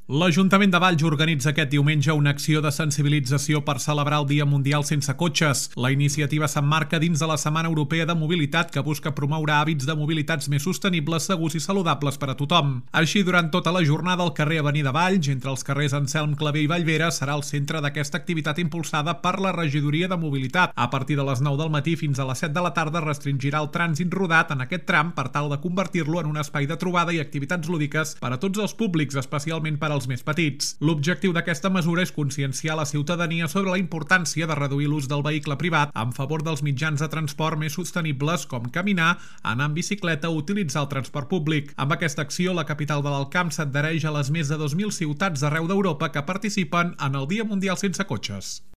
L'Ajuntament de Valls organitza aquest diumenge una acció de sensibilització per celebrar el Dia Mundial Sense Cotxes. La iniciativa s'emmarca dins de la Setmana Europea de Mobilitat, que busca promoure hàbits de mobilitats més sostenibles, segurs i saludables per a tothom. Així, durant tota la jornada, el carrer Avenida Valls, entre els carrers Anselm Clavé i Vallvera, serà el centre d'aquesta activitat impulsada per la Regidoria de Mobilitat. A partir de les 9 del matí fins a les 7 de la tarda restringirà el trànsit rodat en aquest tram per tal de convertir-lo en un espai de trobada i activitats lúdiques per a tots els públics, especialment per als més petits. L'objectiu d'aquesta mesura és conscienciar la ciutadania sobre la importància de reduir l'ús del vehicle privat en favor dels mitjans de transport més sostenibles com caminar, anar en bicicleta o utilitzar el transport públic. Amb aquesta acció, la capital de l'Alt Camp s'adhereix a les més de 2.000 ciutats d'arreu d'Europa que participen en el Dia Mundial Sense Cotxes.